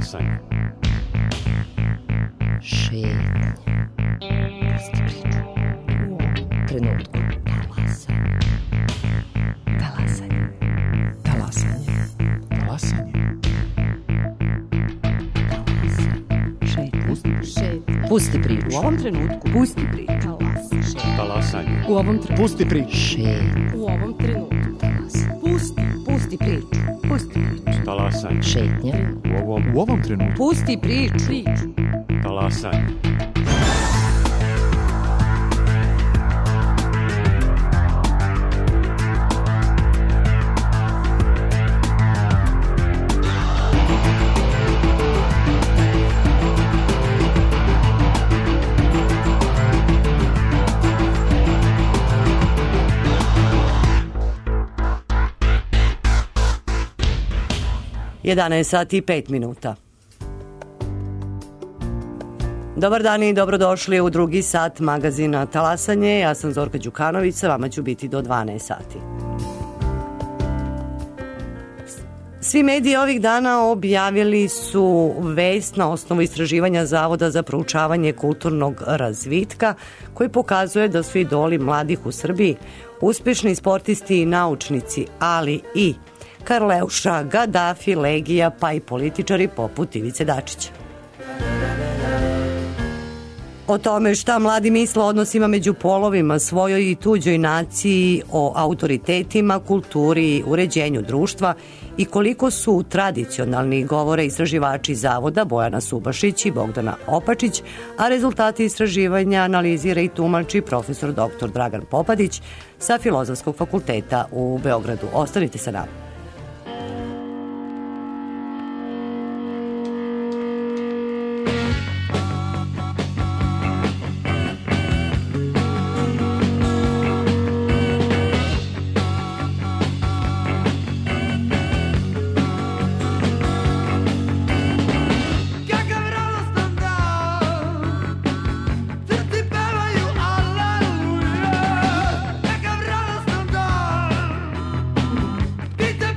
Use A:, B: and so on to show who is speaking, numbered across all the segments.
A: Talasanje.
B: Šetnja. Pusti priču. U ovom trenutku. Talasanje. Talasanje.
C: Talasanje.
B: Pusti priču.
D: U ovom trenutku. Pusti priču.
A: Talasanje.
D: U ovom trenutku.
C: Pusti priču.
B: Šetnja.
D: U ovom trenutku. Pusti priču. Pusti priču.
A: Talasanje.
B: Šetnja.
C: U ovom trenutku.
D: Pusti priču.
A: Talasanje.
E: Jedanaest sati i 5 minuta. Dobar dan i dobrodošli u drugi sat magazina Talasanje. Ja sam Zorka Đukanović, sa vama ću biti do 12 sati. Svi mediji ovih dana objavili su vest na osnovu istraživanja Zavoda za proučavanje kulturnog razvitka koji pokazuje da su idoli mladih u Srbiji uspešni sportisti i naučnici, ali i Karleuša, Gadafi, Legija, pa i političari poput Ivice Dačića. O tome šta mladi misle o odnosima među polovima, svojoj i tuđoj naciji, o autoritetima, kulturi, uređenju društva i koliko su tradicionalni govore istraživači Zavoda Bojana Subašić i Bogdana Opačić, a rezultati istraživanja analizira i tumači profesor dr. Dragan Popadić sa Filozofskog fakulteta u Beogradu. Ostanite sa nama.
F: Pite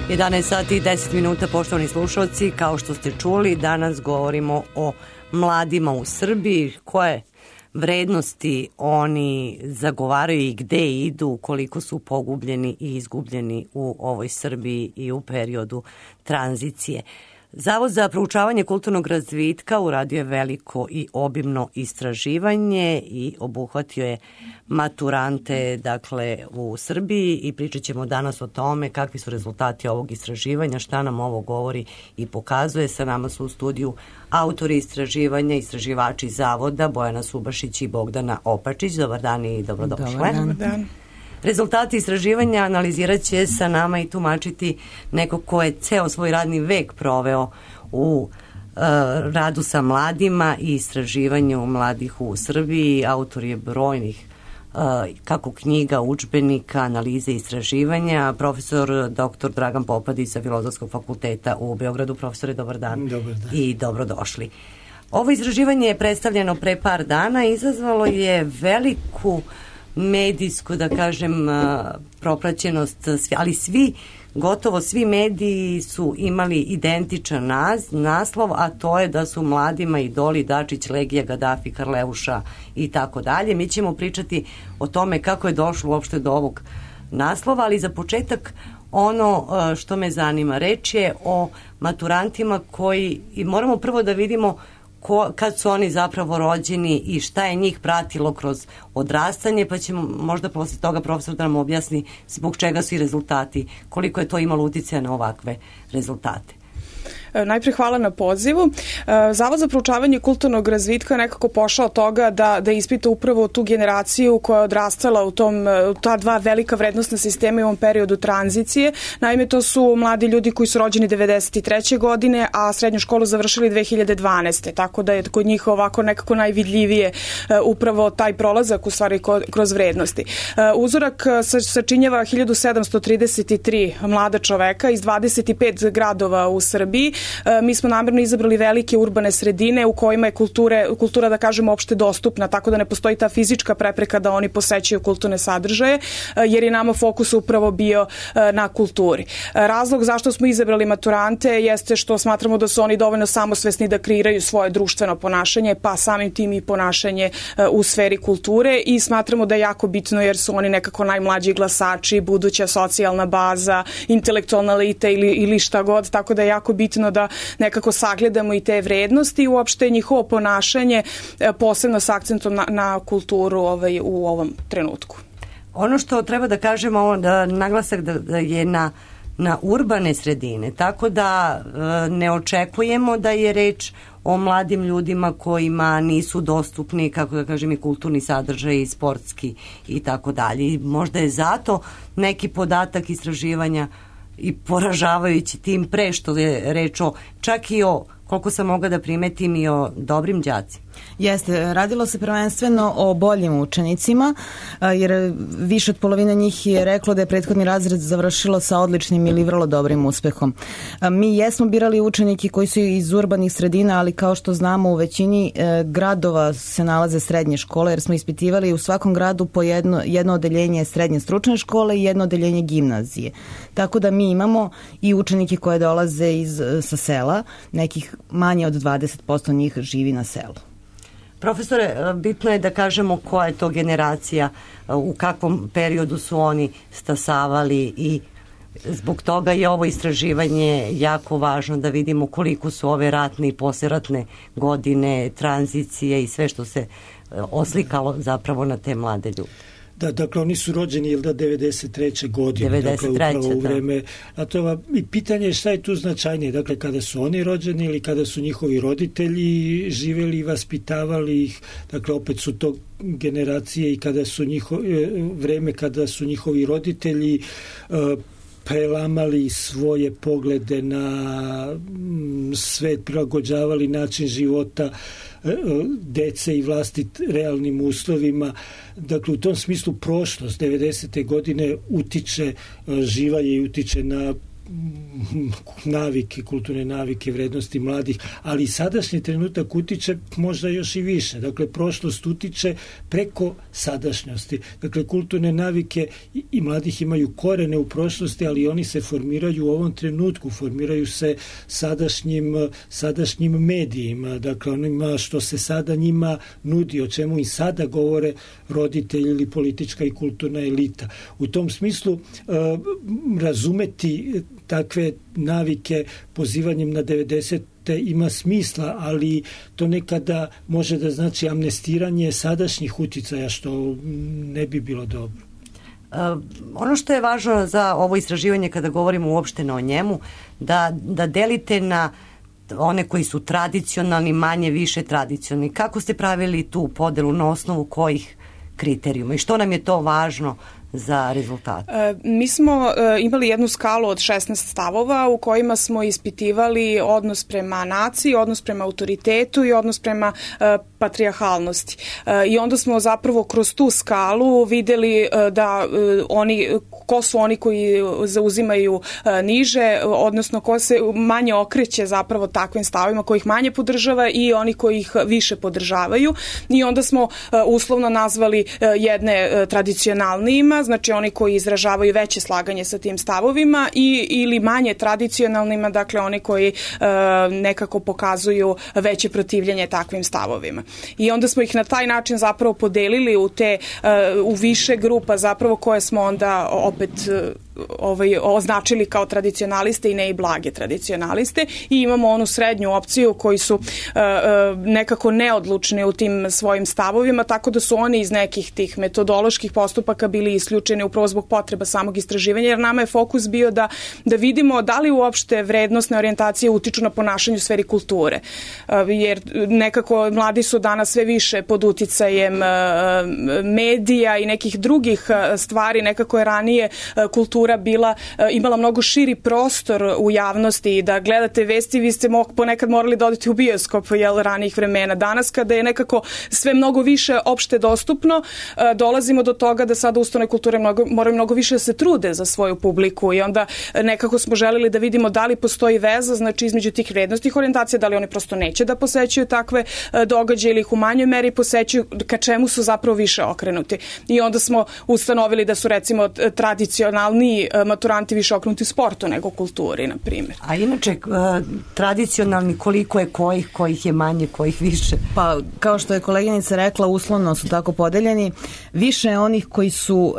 E: 11 sati i 10 minuta, poštovani slušalci. Kao što ste čuli, danas govorimo o mladima u Srbiji, koje vrednosti oni zagovaraju i gde idu, koliko su pogubljeni i izgubljeni u ovoj Srbiji i u periodu tranzicije. Zavod za proučavanje kulturnog razvitka uradio je veliko i obimno istraživanje i obuhvatio je maturante, dakle, u Srbiji, i pričat ćemo danas o tome kakvi su rezultati ovog istraživanja, šta nam ovo govori i pokazuje. Sa nama su u studiju autori istraživanja, istraživači Zavoda, Bojana Subašić i Bogdana Opačić. Dobar dan i dobrodošle.
D: Dobar dan.
E: Rezultati istraživanja analizirat će sa nama i tumačiti neko ko je ceo svoj radni vek proveo u radu sa mladima i istraživanju mladih u Srbiji. Autor je brojnih kako knjiga, udžbenika, analize i istraživanja. Profesor dr. Dragan Popadić sa Filozofskog fakulteta u Beogradu. Profesore, dobar dan.
F: Dobar dan.
E: I dobrodošli. Ovo istraživanje je predstavljeno pre par dana, izazvalo je veliku medijsku, da kažem, propraćenost, ali gotovo svi mediji su imali identičan naslov, a to je da su mladima idoli Dačić, Legija, Gadafi, Karleuša i tako dalje. Mi ćemo pričati o tome kako je došlo uopšte do ovog naslova, ali za početak ono što me zanima, reč je o maturantima koji, i moramo prvo da vidimo kad su oni zapravo rođeni i šta je njih pratilo kroz odrastanje, pa ćemo možda posle toga profesor da nam objasni zbog čega su i rezultati, koliko je to imalo uticaja na ovakve rezultate.
D: Najpre hvala na pozivu. Zavod za proučavanje kulturnog razvitka je nekako pošao od toga da ispita upravo tu generaciju koja je odrastala u ta dva velika vrednostna sistema i u ovom periodu tranzicije. Naime, to su mladi ljudi koji su rođeni 93. godine, a srednju školu završili 2012. Tako da je kod njih ovako nekako najvidljivije upravo taj prolazak u stvari kroz vrednosti. Uzorak sačinjava 1733 mlada čoveka iz 25 gradova u Srbiji. Mi smo namerno izabrali velike urbane sredine u kojima je kultura, da kažemo, opšte dostupna, tako da ne postoji ta fizička prepreka da oni posećaju kulturne sadržaje, jer je nama fokus upravo bio na kulturi. Razlog zašto smo izabrali maturante jeste što smatramo da su oni dovoljno samosvesni da kreiraju svoje društveno ponašanje, pa samim tim i ponašanje u sferi kulture, i smatramo da je jako bitno jer su oni nekako najmlađi glasači, buduća socijalna baza, intelektualna elita ili šta god, tako da je jako bitno da nekako sagledamo i te vrednosti i uopšte njihovo ponašanje, posebno s akcentom na kulturu u ovom trenutku.
E: Ono što treba da kažemo, da naglasak da je na urbane sredine, tako da ne očekujemo da je reč o mladim ljudima kojima nisu dostupni, kako da kažem, i kulturni sadržaj i sportski i tako dalje. Možda je zato neki podatak istraživanja i poražavajući, tim pre što je reč o, čak i o, koliko sam mogla da primetim, i o dobrim đacima.
G: Jeste, radilo se prvenstveno o boljim učenicima, jer više od polovine njih je reklo da je prethodni razred završilo sa odličnim ili vrlo dobrim uspehom. Mi jesmo birali učenike koji su iz urbanih sredina, ali kao što znamo u većini gradova se nalaze srednje škole, jer smo ispitivali u svakom gradu po jedno odeljenje srednje stručne škole i jedno odeljenje gimnazije. Tako da mi imamo i učenike koje dolaze sa sela, nekih manje od 20% njih živi na selu.
E: Profesore, bitno je da kažemo koja je to generacija, u kakvom periodu su oni stasavali, i zbog toga je ovo istraživanje jako važno, da vidimo koliko su ove ratne i posleratne godine, tranzicije i sve što se oslikalo zapravo na te mlade ljude.
F: Da, dakle, oni su rođeni 93. godine,
E: 93.
F: dakle, upravo u vreme ratova. I pitanje je šta je tu značajnije, dakle, kada su oni rođeni ili kada su njihovi roditelji živeli i vaspitavali ih, dakle, opet su to generacije i kada su vreme kada su njihovi roditelji prelamali svoje poglede na svet, prilagođavali način života dece i vlasti realnim uslovima. Dakle, u tom smislu prošlost 90. godine utiče, živa je i utiče na navike, kulturne navike, vrednosti mladih, ali sadašnji trenutak utiče možda još i više. Dakle, prošlost utiče preko sadašnjosti. Dakle, kulturne navike i mladih imaju korene u prošlosti, ali oni se formiraju u ovom trenutku, formiraju se sadašnjim medijima, dakle, onima što se sada njima nudi, o čemu i sada govore roditelji ili politička i kulturna elita. U tom smislu razumeti takve navike pozivanjem na 90. ima smisla, ali to nekada može da znači amnestiranje sadašnjih uticaja, što ne bi bilo dobro.
E: Ono što je važno za ovo istraživanje kada govorimo uopšteno o njemu, da delite na one koji su tradicionalni, manje više tradicionalni. Kako ste pravili tu podelu, na osnovu kojih kriterijuma i što nam je to važno za rezultat?
D: Mi smo imali jednu skalu od 16 stavova u kojima smo ispitivali odnos prema naciji, odnos prema autoritetu i odnos prema patrijarhalnosti. I onda smo zapravo kroz tu skalu videli da ko su oni koji zauzimaju niže, odnosno ko se manje okreće zapravo takvim stavovima, koji ih manje podržava i oni koji ih više podržavaju. I onda smo uslovno nazvali jedne tradicionalnijima, znači oni koji izražavaju veće slaganje sa tim stavovima ili manje tradicionalnima, dakle oni koji nekako pokazuju veće protivljenje takvim stavovima. I onda smo ih na taj način zapravo podelili u više grupa zapravo koje smo onda opet označili kao tradicionaliste i ne i blage tradicionaliste i imamo onu srednju opciju koji su nekako neodlučni u tim svojim stavovima, tako da su oni iz nekih tih metodoloških postupaka bili isključeni upravo zbog potreba samog istraživanja, jer nama je fokus bio da vidimo da li uopšte vrednostne orijentacije utiču na ponašanje u sferi kulture, jer nekako mladi su danas sve više pod uticajem medija i nekih drugih stvari, nekako je ranije kultura imala mnogo širi prostor u javnosti i da gledate vesti, vi ste ponekad morali da odete u bioskop ranijih vremena. Danas kada je nekako sve mnogo više opšte dostupno, dolazimo do toga da sada ustanove kulture moraju mnogo više da se trude za svoju publiku i onda nekako smo želeli da vidimo da li postoji veza, znači između tih vrednostnih orijentacija, da li oni prosto neće da posećuju takve događaje ili ih u manjoj meri posećuju, ka čemu su zapravo više okrenuti. I onda smo ustanovili da su recimo tradicionalni maturanti više okrenuti sportu nego kulturi, na primjer.
E: A inače, tradicionalni koliko je kojih je manje, kojih više?
G: Pa, kao što je koleginica rekla, uslovno su tako podeljeni. Više je onih koji su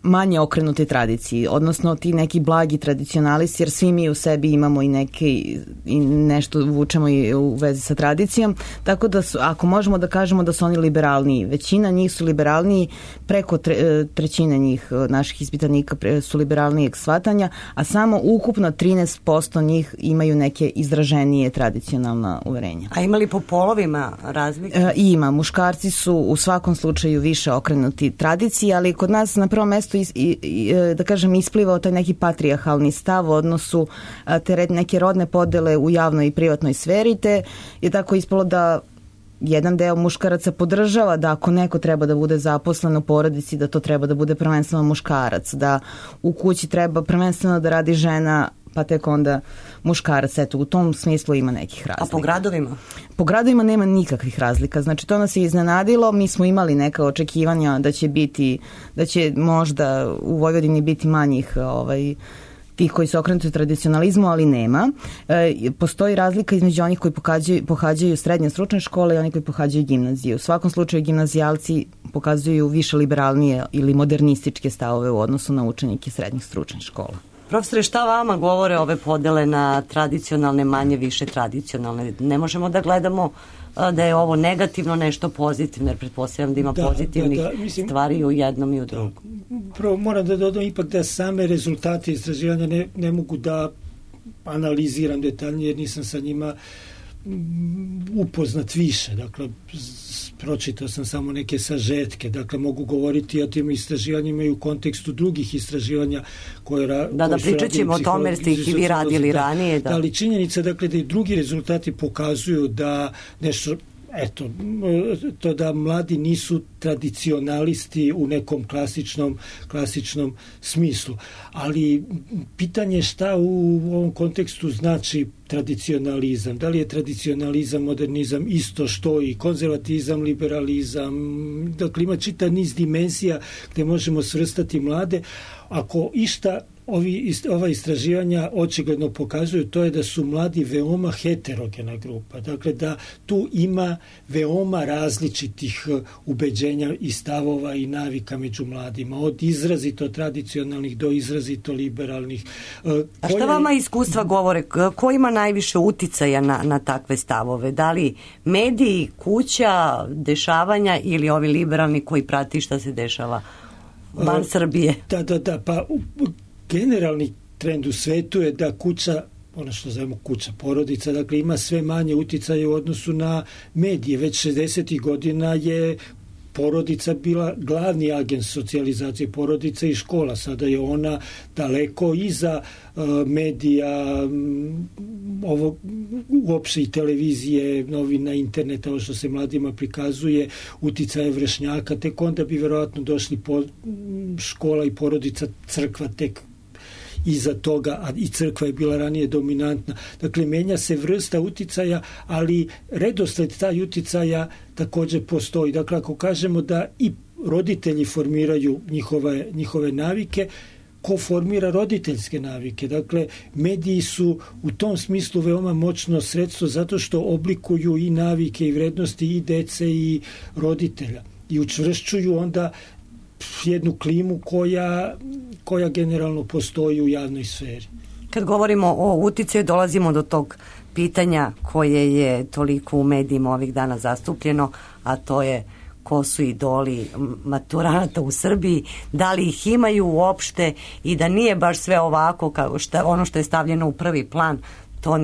G: manje okrenuti tradiciji, odnosno ti neki blagi tradicionalisti, jer svi mi u sebi imamo i nešto vučemo i u vezi sa tradicijom, tako da ako možemo da kažemo da su oni liberalniji, većina njih su liberalniji, preko trećine njih naših ispitanika su liberalnijeg shvatanja, a samo ukupno 13% njih imaju neke izraženije tradicionalna uverenja.
E: A ima li po polovima razlike?
G: Ima, muškarci su u svakom slučaju više okrenuti tradiciji, ali kod nas na prvom mestu da kažem isplivao taj neki patrijarhalni stav u odnosu te neke rodne podele u javnoj i privatnoj sferi, te je tako ispalo da jedan deo muškaraca podržava da ako neko treba da bude zaposlen u porodici, da to treba da bude prvenstveno muškarac, da u kući treba prvenstveno da radi žena, pa tek onda muškarac. Eto, u tom smislu ima nekih razlika.
E: A po gradovima?
G: Po gradovima nema nikakvih razlika. Znači, to nas je iznenadilo. Mi smo imali neka očekivanja da će možda u Vojvodini biti manjih tih koji su okrenuti tradicionalizmu, ali nema. Postoji razlika između onih koji pohađaju srednje stručne škole i onih koji pohađaju gimnaziju. U svakom slučaju gimnazijalci pokazuju više liberalnije ili modernističke stavove u odnosu na učenike srednjih stručnih škola.
E: Profesore, šta vama govore ove podele na tradicionalne, manje više tradicionalne? Ne možemo da gledamo da je ovo negativno, nešto pozitivno, jer pretpostavljam da ima pozitivnih stvari u jednom i u drugom.
F: Prvo moram da dodam ipak da same rezultate istraživanja ne mogu da analiziram detaljnije, jer nisam sa njima upoznat više. Dakle, pročitao sam samo neke sažetke. Dakle, mogu govoriti o tim istraživanjima i u kontekstu drugih istraživanja koje
E: Da pričat ćemo o tome, jer ste ih i vi radili ranije.
F: Da, ali činjenica, dakle, da i drugi rezultati pokazuju da nešto eto, to da mladi nisu tradicionalisti u nekom klasičnom smislu. Ali pitanje šta u ovom kontekstu znači tradicionalizam. Da li je tradicionalizam, modernizam isto što i konzervatizam, liberalizam? Dakle, ima čitav niz dimenzija gde možemo svrstati mlade. Ako išta ova istraživanja očigledno pokazuju, to je da su mladi veoma heterogena grupa. Dakle, da tu ima veoma različitih ubeđenja i stavova i navika među mladima, od izrazito tradicionalnih do izrazito liberalnih.
E: A šta vama iskustva govore? Ko ima najviše uticaja na takve stavove? Da li mediji, kuća, dešavanja ili ovi liberalni koji prati šta se dešava van Srbije?
F: Da, pa generalni trend u svetu je da kuća, ono što zovemo kuća, porodica, dakle ima sve manje uticaja u odnosu na medije. Već 60. godina je porodica bila glavni agent socijalizacije, porodica i škola. Sada je ona daleko iza medija, uopšte i televizije, novina, interneta, ovo što se mladima prikazuje, uticaje vršnjaka, tek onda bi verovatno došli škola i porodica, crkva tek iza toga, a i crkva je bila ranije dominantna. Dakle, menja se vrsta uticaja, ali redosled taj uticaja takođe postoji. Dakle, ako kažemo da i roditelji formiraju njihove navike, ko formira roditeljske navike? Dakle, mediji su u tom smislu veoma moćno sredstvo zato što oblikuju i navike i vrednosti i dece i roditelja i učvršćuju onda jednu klimu koja generalno postoji u javnoj sferi.
E: Kad govorimo o uticaju, dolazimo do tog pitanja koje je toliko u medijima ovih dana zastupljeno, a to je ko su idoli maturanata u Srbiji, da li ih imaju uopšte i da nije baš sve ovako kao ono što je stavljeno u prvi plan, to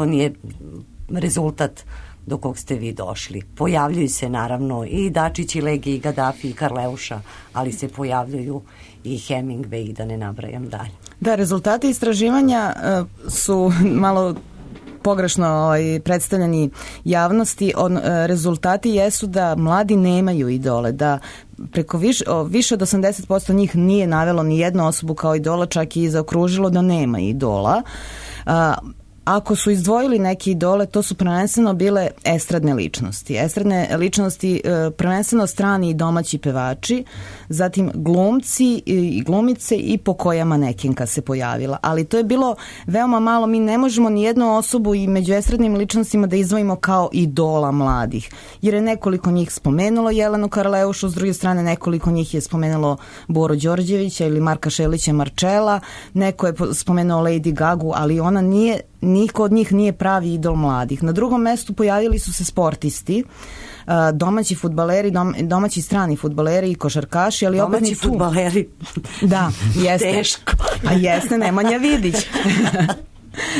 E: nije rezultat do kog ste vi došli. Pojavljuju se naravno i Dačić, i Legi, i Gadafi, i Karleuša, ali se pojavljuju i Hemingway, i da ne nabrajam dalje.
G: Da, rezultati istraživanja su malo pogrešno predstavljeni javnosti. Rezultati jesu da mladi nemaju idole, da preko više od 80% njih nije navelo ni jednu osobu kao idola, čak i zaokružilo da nema idola. Ako su izdvojili neke idole, to su prvenstveno bile estradne ličnosti. Estradne ličnosti, prvenstveno strani i domaći pevači, zatim glumci i glumice i po koja manekenka se pojavila. Ali to je bilo veoma malo. Mi ne možemo ni jednu osobu i među estradnim ličnostima da izdvojimo kao idola mladih. Jer je nekoliko njih spomenulo Jelenu Karleušu, s druge strane nekoliko njih je spomenulo Boru Đorđevića ili Marka Šelića Marčela, neko je spomenuo Lady Gagu, ali ona nije, niko od njih nije pravi idol mladih. Na drugom mestu pojavili su se sportisti, domaći fudbaleri, domaći strani fudbaleri i košarkaši, ali opet
E: domaći fudbaleri.
G: Da, jeste.
E: Teško.
G: A jeste Nemanja Vidić.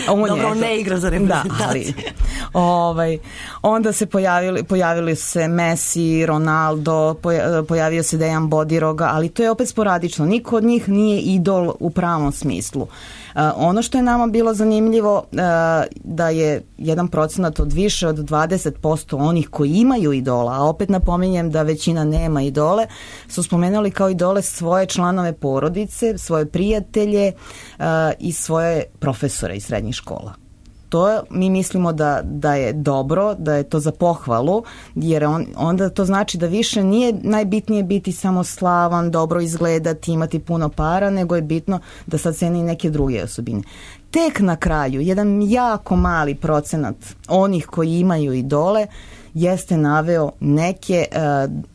E: Dobro, on ne igra za reprezentaciju.
G: Onda se pojavili se Messi, Ronaldo, pojavio se Dejan Bodiroga, ali to je opet sporadično. Niko od njih nije idol u pravom smislu. Ono što je nama bilo zanimljivo da je 1% od više od 20% onih koji imaju idola, a opet napominjem da većina nema idole, su spomenuli kao idole svoje članove porodice, svoje prijatelje i svoje profesore iz srednjih škola. To mi mislimo da je dobro, da je to za pohvalu, jer onda to znači da više nije najbitnije biti samo slavan, dobro izgledati, imati puno para, nego je bitno da sad ceni neke druge osobine. Tek na kraju, jedan jako mali procenat onih koji imaju idole jeste naveo neke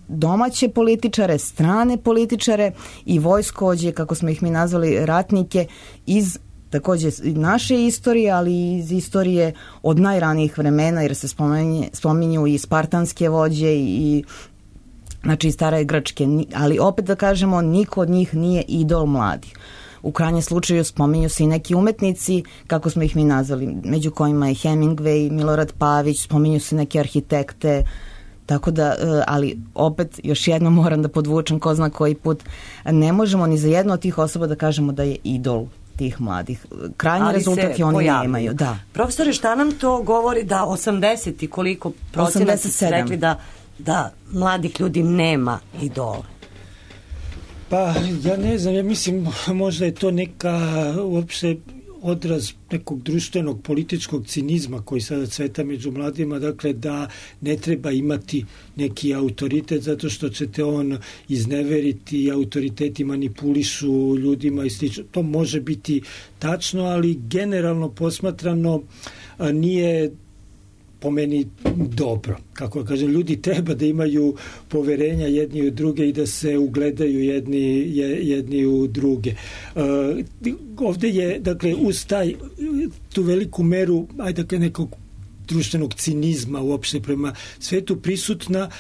G: domaće političare, strane političare i vojskovođe, kako smo ih mi nazvali, ratnike iz takođe naše istorije, ali i iz istorije od najranijih vremena, jer se spominju i spartanske vođe i znači stare Grčke, ali opet da kažemo, niko od njih nije idol mladih. U krajnjem slučaju spominju se i neki umetnici, kako smo ih mi nazvali, među kojima je Hemingway, Milorad Pavić, spominju se neke arhitekte, tako da, ali opet još jednom moram da podvučem ko zna koji put, ne možemo ni za jednu od tih osoba da kažemo da je idol tih mladih. Krajnji rezultat je oni nemaju. Da.
E: Profesore, šta nam to govori da 80 i koliko procenat ste rekli da mladih ljudi nema idola?
F: Pa, ja ne znam, ja mislim možda je to neka uopšte odraz nekog društvenog političkog cinizma koji sada cveta među mladima, dakle da ne treba imati neki autoritet zato što ćete on izneveriti i autoriteti manipulišu ljudima i slično. To može biti tačno, ali generalno posmatrano nije po meni dobro. Kako kažem, ljudi treba da imaju poverenja jedni u druge i da se ugledaju jedni u druge. Ovde je, dakle, uz tu veliku meru, dakle, nekog društvenog cinizma uopšte prema svetu prisutna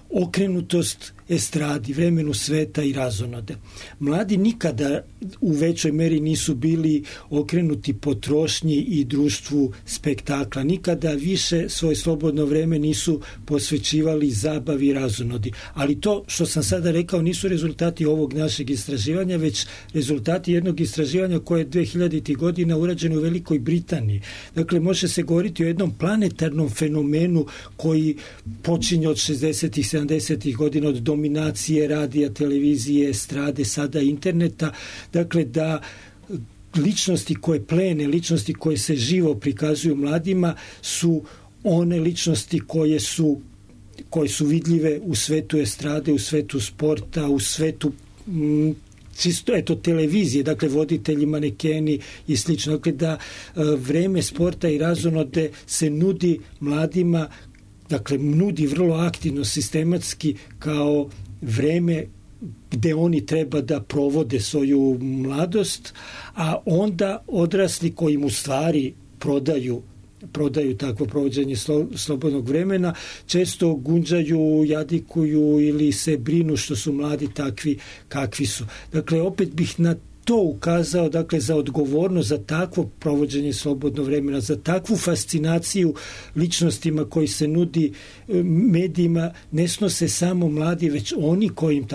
F: okrenutost estradi, vremenu sveta i razonode. Mladi nikada u većoj meri nisu bili okrenuti potrošnji i društvu spektakla. Nikada više svoje slobodno vreme nisu posvećivali zabavi i razonodi. Ali to što sam sada rekao nisu rezultati ovog našeg istraživanja, već rezultati jednog istraživanja koje je 2000. godina urađeno u Velikoj Britaniji. Dakle, može se govoriti o jednom planetarnom fenomenu koji počinje od 60. 70. godina, od dominacije radija, televizije, estrade, sada interneta. Dakle, da ličnosti koje plene, ličnosti koje se živo prikazuju mladima su one ličnosti koje su vidljive u svetu estrade, u svetu sporta, u svetu čisto televizije, dakle voditelji, manekeni i slično. Dakle, da vreme sporta i razonode se nudi mladima, dakle, nudi vrlo aktivno, sistematski kao vreme gde oni treba da provode svoju mladost, a onda odrasli koji im u stvari prodaju takvo provođenje slobodnog vremena, često gunđaju, jadikuju ili se brinu što su mladi takvi kakvi su. Dakle, opet bih na to ukazao, dakle, za odgovornost za takvo provođenje slobodnog vremena, za takvu fascinaciju ličnostima koji se nudi medijima, ne snose samo mladi, već oni koji im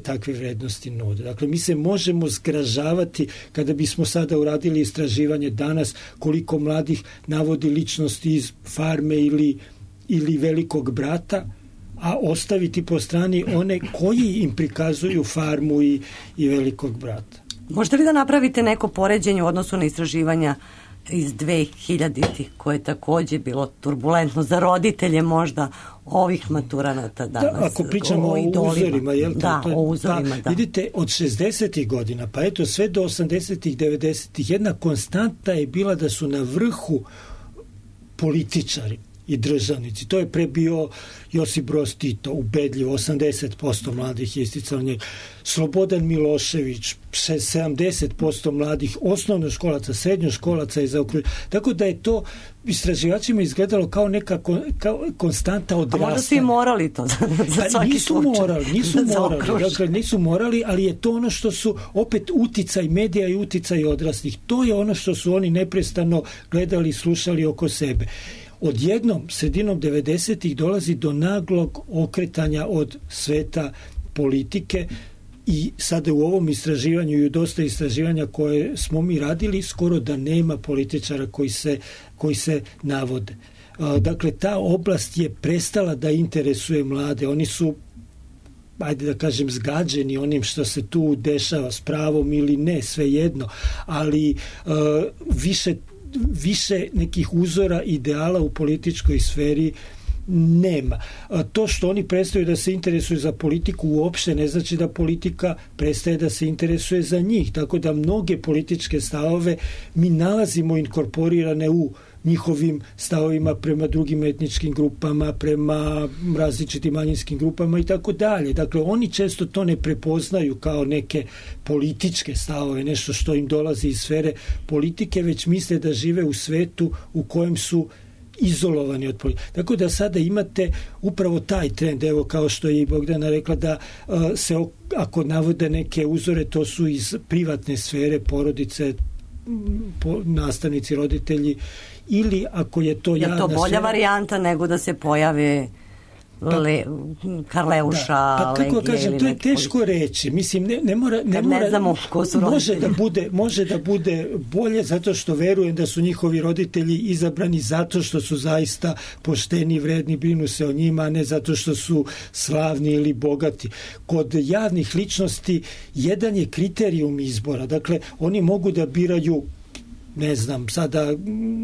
F: takve vrednosti nude. Dakle, mi se možemo zgražavati kada bismo sada uradili istraživanje danas koliko mladih navodi ličnosti iz Farme ili Velikog brata, a ostaviti po strani one koji im prikazuju Farmu i Velikog brata.
E: Možete li da napravite neko poređenje u odnosu na istraživanja iz 2000-ih, koje je takođe bilo turbulentno za roditelje možda ovih maturanata danas?
F: Da, ako pričamo o uzorima, jel?
E: O uzorima, da.
F: Vidite, od 60-ih godina, pa eto sve do 80-ih, 90-ih, jedna konstanta je bila da su na vrhu političari i državnici. To je pre bio Josip Broz Tito, ubedljivo, 80% mladih je isticalo njega. Slobodan Milošević, 70% mladih osnovnoškolaca, srednjoškolaca je zaokruženo. Tako da je to istraživačima izgledalo kao neka konstanta odrastanja.
E: A možda su i morali to za svaki slučaj.
F: Nisu morali, ali je to ono što su opet uticaj medija i uticaj odraslih. To je ono što su oni neprestano gledali i slušali oko sebe. Odjednom, sredinom 90-ih dolazi do naglog okretanja od sveta politike i sada u ovom istraživanju i u dosta istraživanja koje smo mi radili, skoro da nema političara koji se navode. Dakle, ta oblast je prestala da interesuje mlade. Oni su, ajde da kažem, zgađeni onim što se tu dešava, s pravom ili ne, svejedno, ali više nekih uzora ideala u političkoj sferi nema. To što oni prestaju da se interesuju za politiku uopšte ne znači da politika prestaje da se interesuje za njih. Tako da mnoge političke stavove mi nalazimo inkorporirane u njihovim stavovima prema drugim etničkim grupama, prema različitim manjinskim grupama i tako dalje. Dakle, oni često to ne prepoznaju kao neke političke stavove, nešto što im dolazi iz sfere politike, već misle da žive u svetu u kojem su izolovani od politike. Tako da sada imate upravo taj trend, evo kao što je i Bogdana rekla, da se, ako navode neke uzore, to su iz privatne sfere, porodice, nastavnici, roditelji, ili ako je to javna sfera.
E: Je to bolja varijanta nego da se pojave Karleuša,
F: Pa kako kažem, to je teško reći. Mislim, ne mora,
E: znamo ko su
F: može da bude bolje zato što verujem da su njihovi roditelji izabrani zato što su zaista pošteni, vredni, brinu se o njima, a ne zato što su slavni ili bogati. Kod javnih ličnosti jedan je kriterijum izbora. Dakle, oni mogu da biraju, ne znam, sada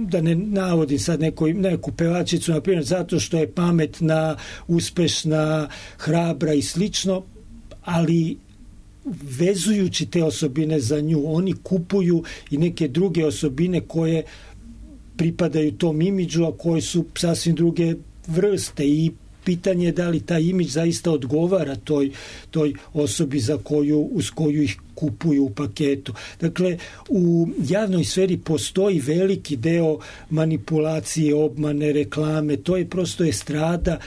F: da ne navodim sad neku pevačicu, na primjer, zato što je pametna, uspešna, hrabra i slično, ali vezujući te osobine za nju, oni kupuju i neke druge osobine koje pripadaju tom imidžu, a koje su sasvim druge vrste, i pitanje je da li taj imidž zaista odgovara toj osobi uz koju ih kupuju u paketu. Dakle, u javnoj sferi postoji veliki deo manipulacije, obmane, reklame, to je prosto estrada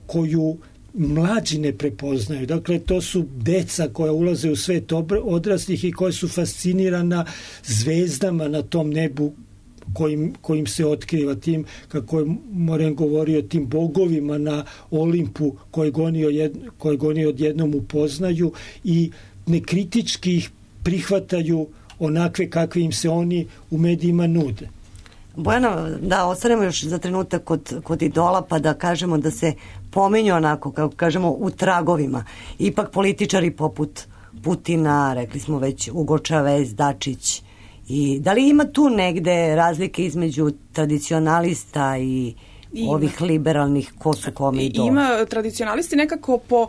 F: koju mlađi ne prepoznaju. Dakle, to su deca koja ulaze u svet odraslih i koja su fascinirana zvezdama na tom nebu kojim se otkriva, tim, kako je Moren govorio, tim bogovima na Olimpu koje oni odjednom upoznaju i nekritički ih prihvataju onakve kakve im se oni u medijima nude.
E: Bojana, da ostanemo još za trenutak kod idola, pa da kažemo da se pominju onako, kako kažemo, u tragovima. Ipak političari poput Putina, rekli smo već Ugo Čavez, Dačić. I da li ima tu negde razlike između tradicionalista i ovih liberalnih, ko su kome idoli?
D: Ima, tradicionalisti nekako po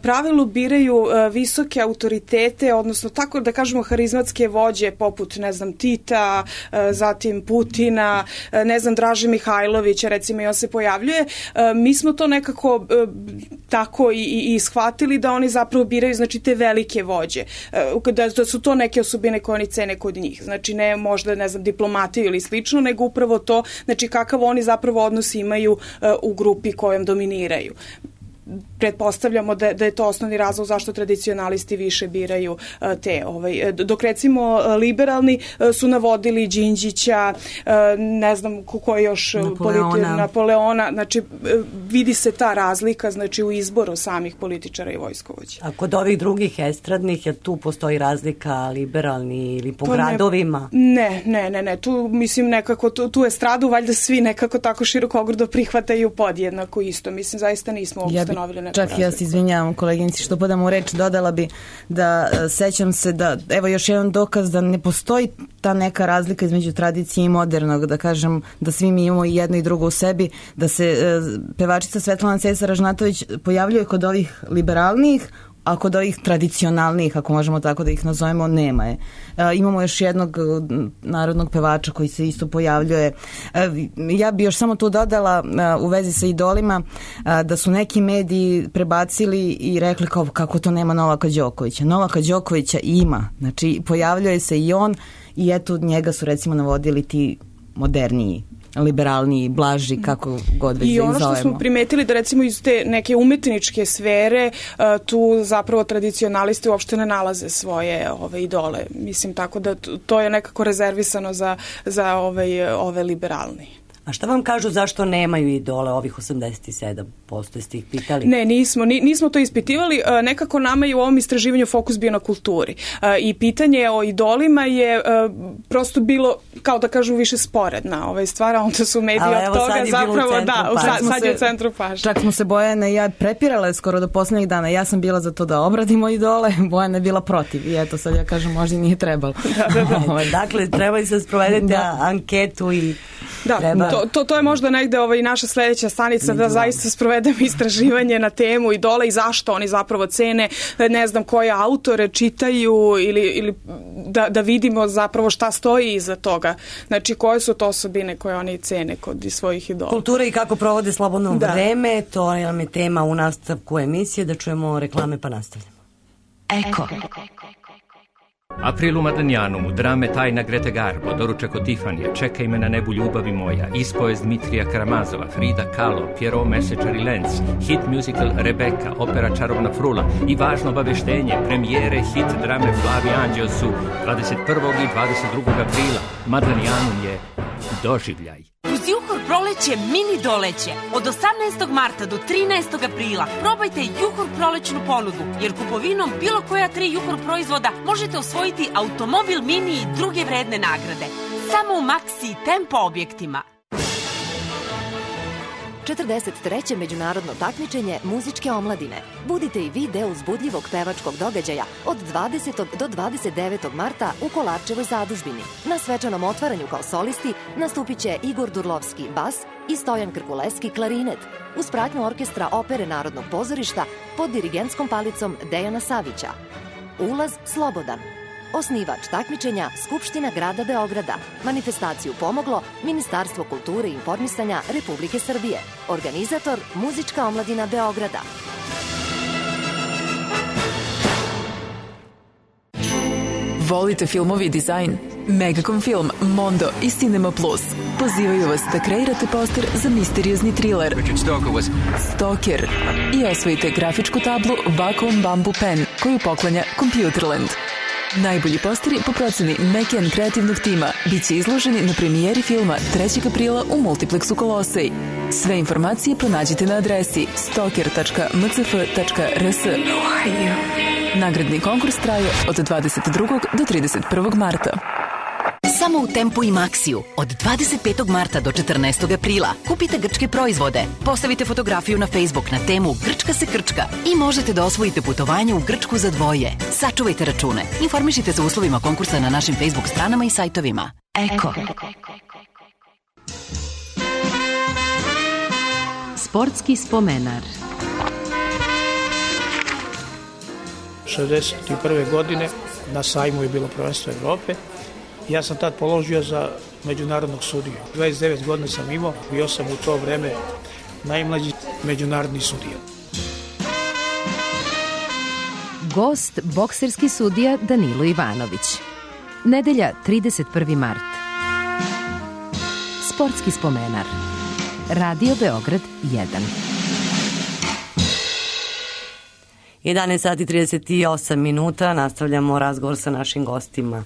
D: pravilu biraju visoke autoritete, odnosno tako da kažemo harizmatske vođe poput, ne znam, Tita, zatim Putina, ne znam, Draže Mihajlovića, recimo, i on se pojavljuje. Mi smo to nekako tako i shvatili da oni zapravo biraju, znači, te velike vođe, da su to neke osobine koje oni cene kod njih. Znači, ne možda, ne znam, diplomatiju ili slično, nego upravo to, znači, kakav oni zapravo odnosi imaju u grupi kojom dominiraju. Pretpostavljamo da je to osnovni razlog zašto tradicionalisti više biraju te. Dok recimo liberalni su navodili Đinđića, ne znam ko je još, Napoleona. Znači, vidi se ta razlika, znači, u izboru samih političara i vojskovođa.
E: A kod ovih drugih estradnih, jer tu postoji razlika liberalni ili po gradovima?
D: Ne. Tu, mislim, nekako, tu estradu valjda svi nekako tako širokogrudno prihvataju podjednako isto. Mislim, zaista nismo ustanovili neku
G: čak
D: razliku.
G: Ja se izvinjavam koleginici što podam u reč, dodala bi da sećam se da, evo još jedan dokaz da ne postoji ta neka razlika između tradicije i modernog, da kažem da svi mi imamo i jedno i drugo u sebi, da se pevačica Svetlana Cesar-Ražnatović pojavljuje kod ovih liberalnijih, a kod ovih tradicionalnih, ako možemo tako da ih nazovemo, nema je. Imamo još jednog narodnog pevača koji se isto pojavljuje. Ja bi još samo tu dodala u vezi sa idolima da su neki mediji prebacili i rekli kako to nema Novaka Đokovića. Novaka Đokovića ima. Znači, pojavljuje se i on i eto njega su recimo navodili ti moderniji, liberalniji, blaži, kako god već da ih zovemo.
D: I ono što smo primetili da recimo iz te neke umetničke sfere tu zapravo tradicionalisti uopšte ne nalaze svoje idole. Mislim, tako da to je nekako rezervisano za ove liberalni.
E: A šta vam kažu zašto nemaju idole ovih 87%? Ste ih pitali?
D: Ne, nismo to ispitivali. Nekako nama je u ovom istraživanju fokus bio na kulturi. I pitanje o idolima je prosto bilo, kao da kažu, više sporedna stvar, a onda su mediji od toga zapravo, sad je u centru pažnje.
G: Čak smo se Bojana i ja prepirale skoro do poslednjih dana. Ja sam bila za to da obradimo idole, Bojana je bila protiv. I eto, sad ja kažem, možda nije trebalo.
E: Dakle, treba i sad sprovedete anketu i treba...
D: To je možda negde i naša sledeća stanica, da zaista sprovedemo istraživanje na temu idola i zašto oni zapravo cene, ne znam koje autore čitaju ili da vidimo zapravo šta stoji iza toga. Znači, koje su to osobine koje oni cene kod svojih idola.
E: Kultura i kako provode slobodno vreme, to je tema u nastavku emisije, da čujemo reklame pa nastavljamo.
B: Eko.
A: April u Madanijanum, drame Tajna Grete Garbo, doručak od Tifanija, Čekaj me na nebu ljubavi moja, ispovest Dmitrija Karamazova, Frida Kahlo, Pierrot Mesečar i Lenz, hit musical Rebeka, opera Čarobna frula i važno obaveštenje, premijere hit drame Flavi Anđeo su 21. i 22. aprila. Madanijanum je doživljaj.
H: Uz Juhor proleće, mini doleće. Od 18. marta do 13. aprila probajte Juhor prolećnu ponudu, jer kupovinom bilo koja 3 Juhor proizvoda možete osvojiti automobil, mini i druge vredne nagrade. Samo u Maxi i Tempo objektima.
I: 43. međunarodno takmičenje muzičke omladine. Budite i vi deo uzbudljivog pevačkog događaja od 20. do 29. marta u Kolarčevoj zadužbini. Na svečanom otvaranju kao solisti nastupit će Igor Durlovski bas i Stojan Krkuleski klarinet, uz pratnju orkestra Opere Narodnog pozorišta pod dirigentskom palicom Dejana Savića. Ulaz slobodan. Osnivač takmičenja Skupština grada Beograda. Manifestaciju pomoglo Ministarstvo kulture i informisanja Republike Srbije. Organizator Muzička omladina Beograda.
J: Volite filmovi i dizajn? Megacom Film, Mondo i Cinema Plus pozivaju vas da kreirate poster za misteriozni thriller Stalker i osvojite grafičku tablu Vacuum Bamboo Pen koju poklanja Computerland. Najbolji posteri po proceni Mekian kreativnog tima biće izloženi na premijeri filma 3. aprila u Multiplexu Kolosej. Sve informacije pronađite na adresi stalker.mcf.rs. Nagradni konkurs traje od 22. do 31. marta.
K: Samo u Tempu i Maxiju od 25. marta do 14. aprila kupite grčke proizvode, postavite fotografiju na Facebook na temu Grčka se krčka i možete da osvojite putovanje u Grčku za dvoje. Sačuvajte račune. Informišite se o uslovima konkursa na našim Facebook stranama i sajtovima. Eko.
B: Sportski spomenar.
L: 61. godine na sajmu je bilo prvenstvo Evrope. Ja sam tad položio za međunarodnog sudiju. 29 godina sam imao, bio sam u to vreme najmlađi međunarodni sudija.
B: Gost, bokserski sudija Danilo Ivanović. Nedelja, 31. mart. Sportski spomenar. Radio Beograd 1.
E: 11 sati 38 minuta. Nastavljamo razgovor sa našim gostima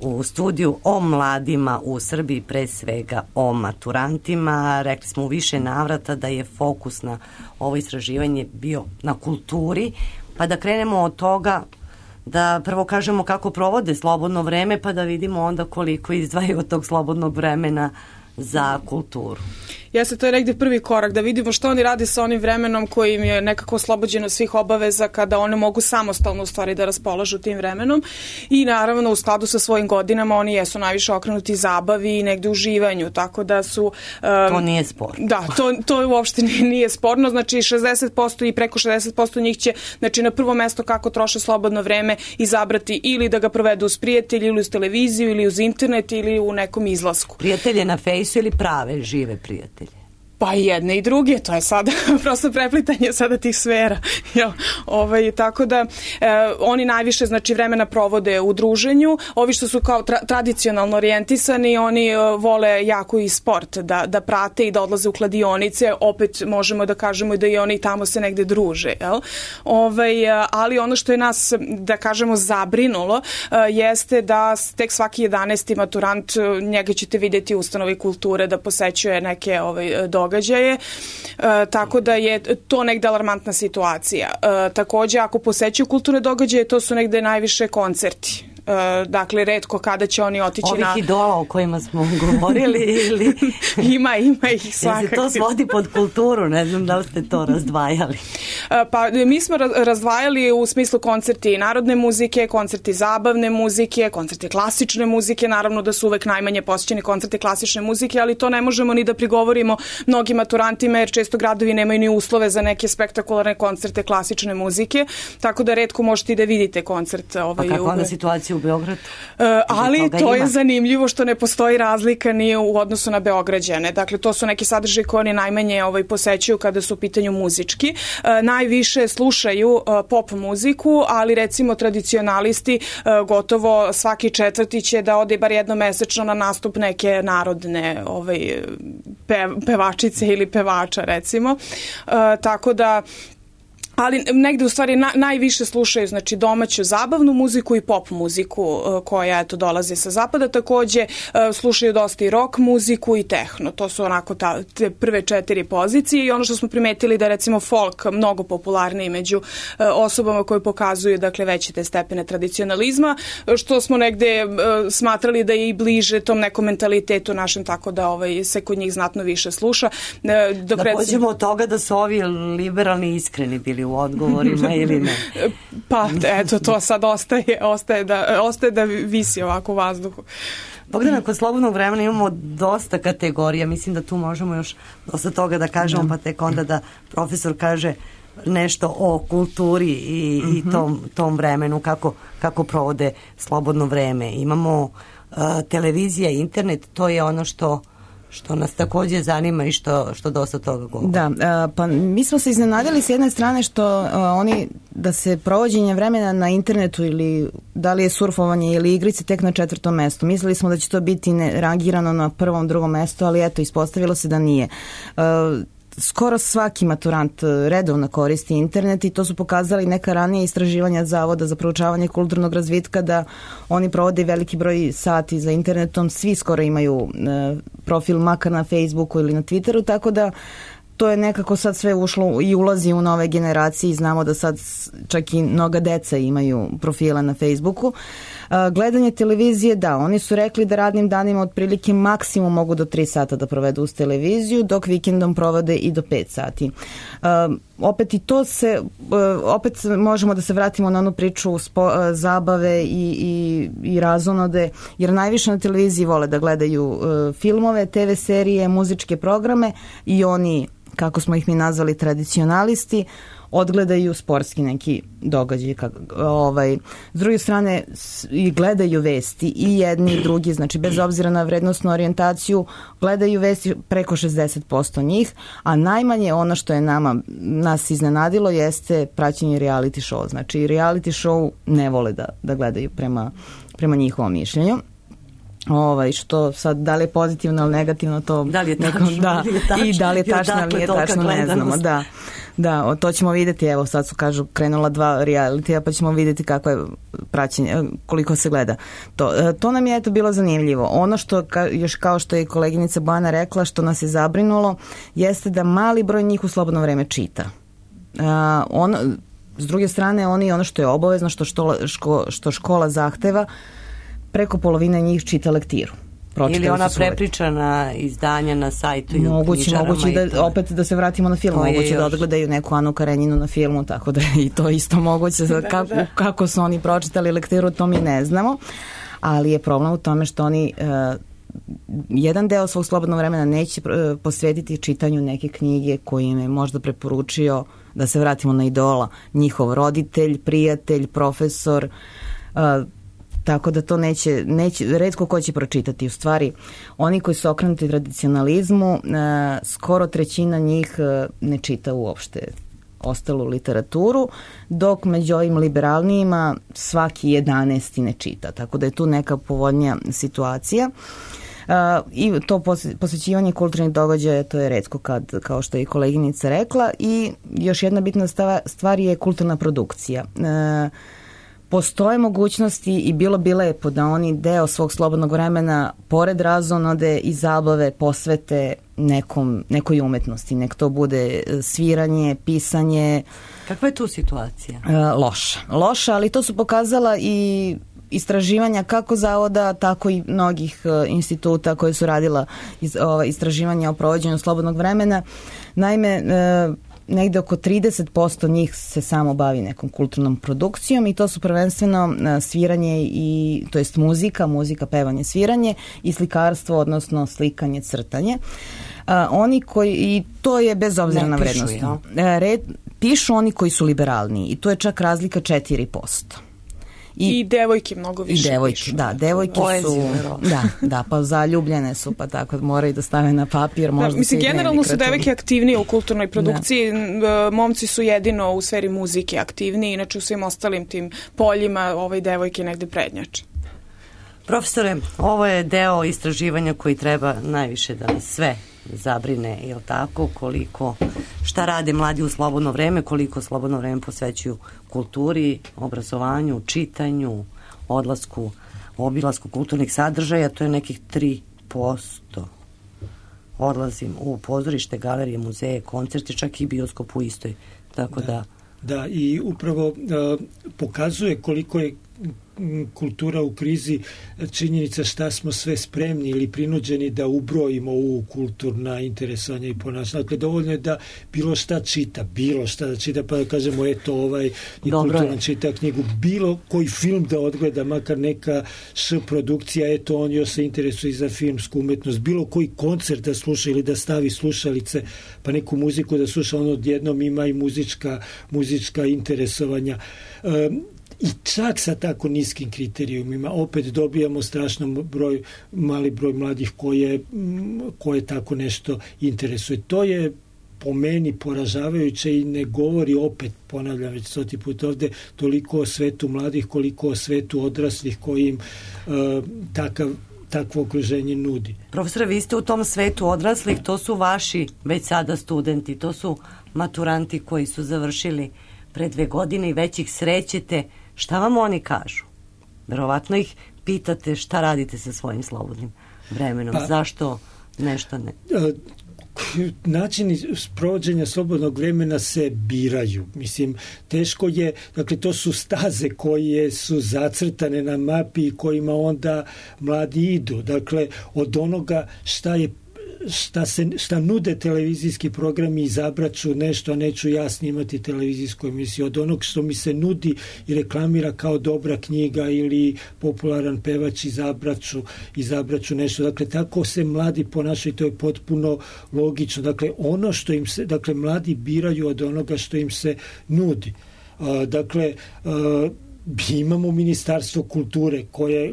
E: u studiju o mladima u Srbiji, pre svega o maturantima. Rekli smo u više navrata da je fokus na ovo istraživanje bio na kulturi, pa da krenemo od toga da prvo kažemo kako provode slobodno vreme, pa da vidimo onda koliko izdvajaju od tog slobodnog vremena za kulturu.
D: Jeste, to je negde prvi korak, da vidimo što oni rade sa onim vremenom koji im je nekako oslobođeno svih obaveza, kada one mogu samostalno u stvari da raspolažu tim vremenom i naravno u skladu sa svojim godinama oni jesu najviše okrenuti zabavi i negde uživanju, tako da su...
E: to nije sporno.
D: Da, to uopšte nije sporno, znači 60% i preko 60% njih će, znači na prvo mesto kako troše slobodno vreme izabrati ili da ga provedu uz prijatelji ili uz televiziju ili uz internet ili u nekom izlasku.
E: Prijatelje na fejsu ili prave, žive prijatelje?
D: Pa i jedne i druge, to je sada prosto preplitanje sada tih sfera. Tako da oni najviše znači vremena provode u druženju, ovi što su kao tradicionalno orijentisani, oni vole jako i sport, da prate i da odlaze u kladionice, opet možemo da kažemo da i oni tamo se negde druže. Ali ono što je nas, da kažemo, zabrinulo, jeste da tek svaki 11. maturant, njega ćete vidjeti u ustanovi kulture da posećuje neke događaje, tako da je to negde alarmantna situacija. Takođe, ako posećuju kulturne događaje, to su negde najviše koncerti. Dakle, retko kada će oni otići na...
E: Ovih idola o kojima smo govorili ili...
D: Ima ih svakako.
E: Jer se to svodi pod kulturu, ne znam da li ste to razdvajali.
D: Pa mi smo razdvajali u smislu koncerti narodne muzike, koncerti zabavne muzike, koncerti klasične muzike, naravno da su uvek najmanje posjećeni koncerti klasične muzike, ali to ne možemo ni da prigovorimo mnogim maturantima, jer često gradovi nemaju ni uslove za neke spektakularne koncerte klasične muzike, tako da retko možete i da vidite koncert.
E: Pa kako onda situacija u Beogradu?
D: Ali to je zanimljivo što ne postoji razlika ni u odnosu na Beograđane. Dakle, to su neki sadržaji koji oni najmanje posećuju kada su u pitanju muzički. Najviše slušaju pop muziku, ali recimo tradicionalisti gotovo svaki četvrti će da ode bar jednomesečno na nastup neke narodne pevačice ili pevača recimo. Tako da ali negde u stvari najviše slušaju znači domaću zabavnu muziku i pop muziku koja eto dolazi sa zapada, takođe slušaju dosta i rock muziku i tehno, to su onako te prve 4 pozicije i ono što smo primetili da recimo folk mnogo popularniji među osobama koje pokazuju dakle veće te stepene tradicionalizma, što smo negde smatrali da je i bliže tom nekom mentalitetu našem, tako da se kod njih znatno više sluša.
E: Da pođemo od toga da su ovi liberalni iskreni bili u odgovorima ili ne?
D: Pa, eto, to sad ostaje da visi ovako u vazduhu.
E: Bogdana, kod slobodnog vremena imamo dosta kategorija, mislim da tu možemo još dosta toga da kažemo, pa tek onda da profesor kaže nešto o kulturi i tom vremenu, kako provode slobodno vreme. Imamo televizija, internet, to je ono što nas takođe zanima i što dosta toga govori.
G: Da, pa mi smo se iznenadili s jedne strane što oni, da se provođenje vremena na internetu ili da li je surfovanje ili igrice tek na 4. mestu. Mislili smo da će to biti rangirano na 1., 2. mestu, ali eto, ispostavilo se da nije. Skoro svaki maturant redovno koristi internet i to su pokazali neka ranije istraživanja Zavoda za proučavanje kulturnog razvitka da oni provode veliki broj sati za internetom, svi skoro imaju profil makar na Facebooku ili na Twitteru, tako da to je nekako sad sve ušlo i ulazi u nove generacije i znamo da sad čak i mnoga deca imaju profila na Facebooku. Gledanje televizije, da, oni su rekli da radnim danima otprilike maksimum mogu do 3 sata da provedu uz televiziju, dok vikendom provode i do 5 sati. Opet i to opet možemo da se vratimo na onu priču zabave i razonode, jer najviše na televiziji vole da gledaju filmove, TV serije, muzičke programe i oni, kako smo ih mi nazvali, tradicionalisti, odgledaju sportski neki događaj. S druge strane i gledaju vesti i jedni i drugi, znači bez obzira na vrednostnu orijentaciju, gledaju vesti preko 60% njih, a najmanje ono što je nas iznenadilo jeste praćenje reality show. Znači reality show ne vole da gledaju prema njihovom mišljenju. Što sad, da li je pozitivno ili negativno, to
E: da li je tačno,
G: i da li je tačno ili nije tačno, ne znamo. Da, to ćemo vidjeti, evo sad su krenula 2 realitija, pa ćemo vidjeti kako je praćenje, koliko se gleda. To nam je eto bilo zanimljivo. Ono što, još kao što je koleginica Bojana rekla, što nas je zabrinulo, jeste da mali broj njih u slobodno vreme čita. S druge strane, ono što je obavezno, što škola zahteva, preko polovine njih čita lektiru.
E: Ili ona prepričana izdanja na sajtu i u knjižarama.
G: Moguće opet da se vratimo na film, moguće da odgledaju neku Anu Karenjinu na filmu, tako da je i to isto moguće. Kako su oni pročitali lektiru, to mi ne znamo, ali je problem u tome što oni jedan deo svog slobodnog vremena neće posvetiti čitanju neke knjige koje im je možda preporučio, da se vratimo na idola, njihov roditelj, prijatelj, profesor, tako da to neće, retko ko će pročitati. U stvari, oni koji su okrenuti tradicionalizmu, skoro 1/3 njih ne čita uopšte ostalu literaturu, dok među ovim liberalnijima svaki 11. ne čita. Tako da je tu neka povoljnija situacija. I to posvećivanje kulturnih događaja, to je retko kao što je i koleginica rekla. I još jedna bitna stvar je kulturna produkcija. Postoje mogućnosti i bilo bi lepo da oni deo svog slobodnog vremena pored razonode i zabave posvete nekoj umetnosti. Nek to bude sviranje, pisanje.
E: Kakva je tu situacija?
G: Loša, ali to su pokazala i istraživanja kako zavoda, tako i mnogih instituta koje su radila istraživanja o provođenju slobodnog vremena. Naime, negde oko 30% njih se samo bavi nekom kulturnom produkcijom i to su prvenstveno sviranje to jest muzika, pevanje, sviranje i slikarstvo, odnosno slikanje, crtanje. Oni koji, i to je bez obzira na vrednost. Pišu oni koji su liberalniji i to je čak razlika 4%.
D: I devojke mnogo više.
G: I devojke, da, devojke su, da, pa zaljubljene su, pa tako moraju da stave na papir.
D: Mislim, generalno su devojke aktivnije u kulturnoj produkciji, momci su jedino u sferi muzike aktivniji, inače u svim ostalim tim poljima devojke negde prednjače.
E: Profesore, ovo je deo istraživanja koji treba najviše da nas sve zabrine, je li tako, šta rade mladi u slobodno vreme, koliko slobodno vreme posvećuju kulturi, obrazovanju, čitanju, obilasku kulturnih sadržaja, to je nekih 3%. Odlazim u pozorište, galerije, muzeje, koncerte, čak i bioskop u istoj. Tako da...
F: Da, i upravo pokazuje koliko je kultura u krizi, činjenica šta smo sve spremni ili prinuđeni da ubrojimo u kulturna interesovanja i ponašanja. Dakle, dovoljno je da bilo šta da čita, pa da kažemo, eto, i kulturan čita knjigu, bilo koji film da odgleda, makar neka produkcija, eto, on još se interesuje za filmsku umetnost, bilo koji koncert da sluša ili da stavi slušalice, pa neku muziku da sluša, on odjednom ima i muzička interesovanja. I čak sa tako niskim kriterijumima opet dobijamo mali broj mladih koje tako nešto interesuje. To je po meni poražavajuće i ne govori, opet ponavljam već 100 put ovde, toliko o svetu mladih koliko o svetu odraslih koji im takvo okruženje nudi.
E: Profesore, vi ste u tom svetu odraslih, to su vaši već sada studenti, to su maturanti koji su završili pre 2 godine i već ih srećete. Šta vam oni kažu? Verovatno ih pitate šta radite sa svojim slobodnim vremenom, zašto nešto ne...
F: Načini sprovođenja slobodnog vremena se biraju. Mislim, teško je, dakle, to su staze koje su zacrtane na mapi i kojima onda mladi idu. Dakle, od onoga šta nude televizijski programi, izabraću nešto, a neću ja snimati televizijsku emisiju. Od onog što mi se nudi i reklamira kao dobra knjiga ili popularan pevač, izabraću nešto. Dakle, tako se mladi ponašaju i to je potpuno logično. Dakle, mladi biraju od onoga što im se nudi. Dakle, imamo Ministarstvo kulture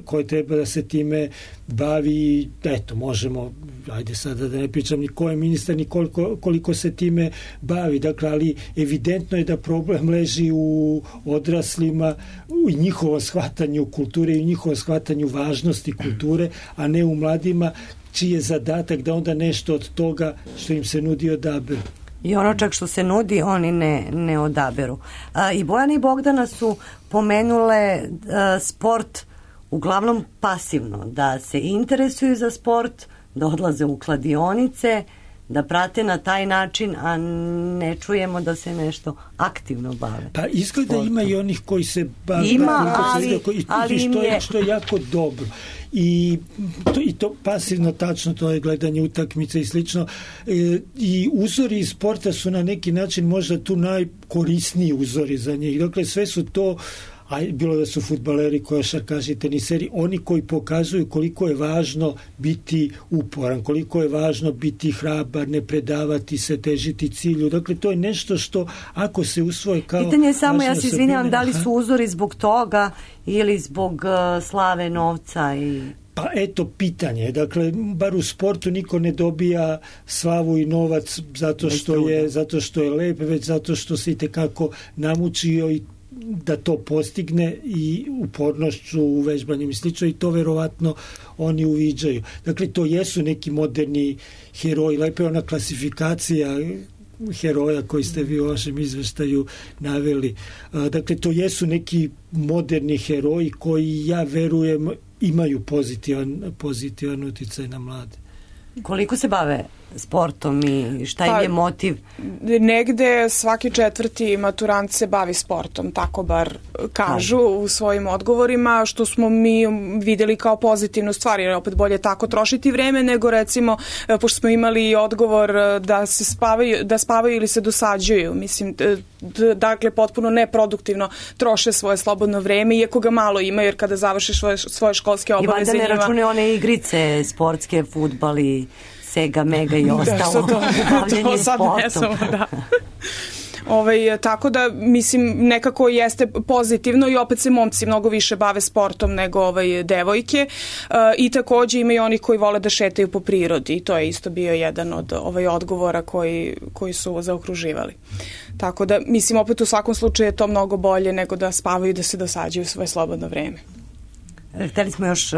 F: koje treba da se time bavi, eto, možemo, ajde sada da ne pričam ni ko je ministar, ni koliko se time bavi, dakle, ali evidentno je da problem leži u odraslima, u njihovom shvatanju kulture i u njihovom shvatanju važnosti kulture, a ne u mladima, čiji je zadatak da onda nešto od toga što im se nudi odaberu.
E: I ono čak što se nudi, oni ne odaberu. I Bojana i Bogdana su pomenule sport uglavnom pasivno, da se interesuju za sport, da odlaze u kladionice, da prate na taj način, a ne čujemo da se nešto aktivno bave.
F: Pa izgleda sportom. Ima i onih koji se bave. Što je jako dobro. I to pasivno, tačno, to je gledanje utakmice i slično. I uzori iz sporta su na neki način možda tu najkorisniji uzori za njih. Dakle, sve su to, a bilo da su fudbaleri, košarkaši, teniseri, oni koji pokazuju koliko je važno biti uporan, koliko je važno biti hrabar, ne predavati se, težiti cilju. Dakle, to je nešto što ako se usvoje kao...
E: Pitanje je samo, ja se izvinjavam, da li su uzori zbog toga ili zbog slave, novca i...
F: Pa eto pitanje, dakle, bar u sportu niko ne dobija slavu i novac zato što je lep, već zato što se itekako namučio i da to postigne i upornošću, uvežbanjem i slično, i to verovatno oni uviđaju. Dakle, to jesu neki moderni heroji, lepo je ona klasifikacija heroja koji ste vi u vašem izveštaju naveli. Dakle, to jesu neki moderni heroji koji, ja verujem, imaju pozitivan uticaj na mlade.
E: Koliko se bave sportom i šta im je motiv?
D: Negde svaki 4. maturant se bavi sportom, tako bar kažu u svojim odgovorima, što smo mi videli kao pozitivnu stvar, jer opet bolje tako trošiti vreme nego, recimo, pošto smo imali odgovor da spavaju ili se dosađuju. Mislim, dakle, potpuno neproduktivno troše svoje slobodno vreme, iako ga malo ima, jer kada završiš svoje školske obaveze...
E: I valjda ne račune one igrice sportske, fudbal i Sega, Mega i ostalo.
D: To sad ne samo, da. Tako da, mislim, nekako jeste pozitivno i opet se momci mnogo više bave sportom nego devojke, i takođe ima i oni koji vole da šetaju po prirodi i to je isto bio jedan od odgovora koji su zaokruživali. Tako da, mislim, opet u svakom slučaju je to mnogo bolje nego da spavaju i da se dosađuju svoje slobodno vreme.
E: Hteli smo još